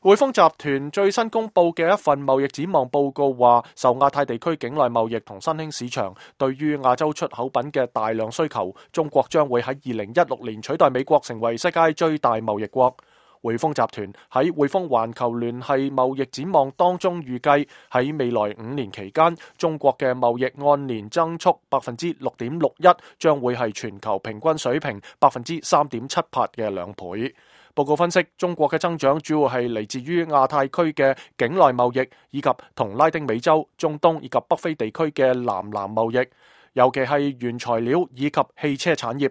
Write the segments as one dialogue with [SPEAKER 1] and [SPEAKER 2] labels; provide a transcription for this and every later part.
[SPEAKER 1] 匯豐集團最新公布嘅一份貿易展望報告話，受亞太地區境內貿易同新興市場對於亞洲出口品嘅大量需求，中國將會喺2016年取代美國成為世界最大貿易國。匯豐集團喺匯豐環球聯繫貿易展望當中預計，喺未來5年期間，中國嘅貿易按年增速6.61%，將會係全球平均水平3.78%嘅2倍。報告分析，中國嘅增長主要係嚟自於亞太區嘅境內貿易，以及同拉丁美洲、中東以及北非地區嘅南南貿易，尤其係原材料以及汽車產業。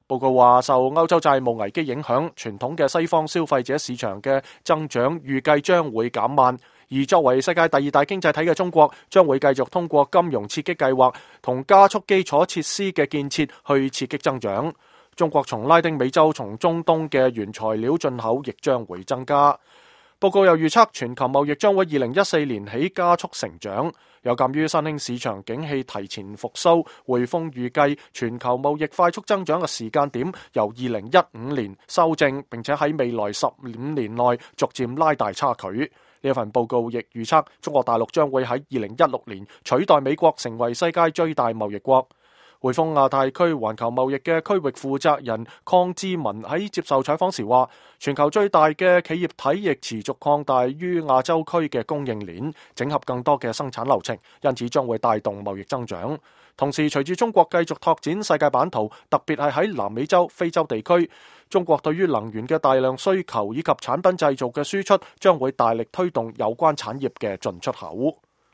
[SPEAKER 1] 報告話，受歐洲債務危機影響，傳統嘅西方消費者市場嘅增長預計將會減慢，而作為世界第2大經濟體嘅中國，將會繼續通過金融刺激計劃同加速基礎設施嘅建設去刺激增長。中國從拉丁美洲、從中東嘅原材料進口亦將會增加。報告又預測，全球貿易將會2014年起加速成長。有鑑於新興市場景氣提前復甦，匯豐預計全球貿易快速增長嘅時間點由2015年修正，並且喺未來15年內逐漸拉大差距。呢一份報告亦預測，中國大陸將會喺2016年取代美國成為世界最大貿易國。匯豐亞太區環球貿易嘅區域負責人鄺志文喺接受採訪時話，全球最大嘅企業體亦持續擴大於亞洲區嘅供應鏈，整合更多嘅生產流程，因此將會帶動貿易增長。同時，隨住中國繼續拓展世界版圖，特別係喺南美洲、非洲地區，中國對於能源嘅大量需求以及產品製造嘅輸出，將會大力推動有關產業嘅進出口。